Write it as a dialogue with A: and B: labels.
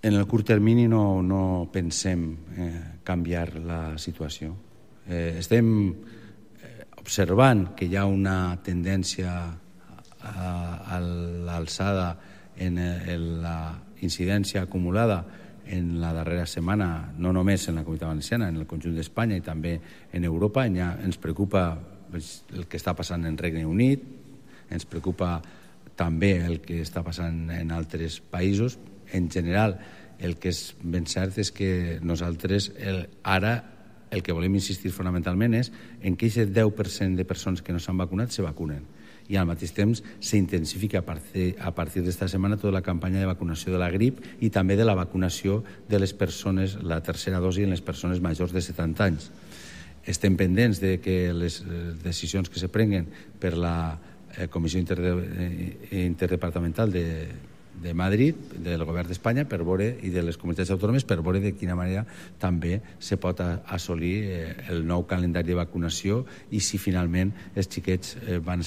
A: En el curt termini no pensem canviar la situació. Estem observant que hi ha una tendència a l'alçada en la incidència acumulada en la darrera setmana, no només en la Comunitat Valenciana, en el conjunt d'Espanya i també en Europa. Ens preocupa el que està passant en Regne Unit, ens preocupa també el que està passant en altres països. En general, el que és ben cert és que nosaltres ara el que volem insistir fonamentalment és en que aquest 10% de persones que no s'han vacunat se vacunen. I al mateix temps s'intensifica a partir d'esta setmana tota la campanya de vacunació de la grip i també de la vacunació de les persones, la tercera dosi en les persones majors de 70 anys. Estem pendents de que les decisions que se prenguen per la Comissió Interdepartamental de Madrid, del govern d'Espanya, per veure, i de les comunitats autònomes, per veure de quina manera també se pot assolir el nou calendari de vacunació i si finalment els xiquets van ser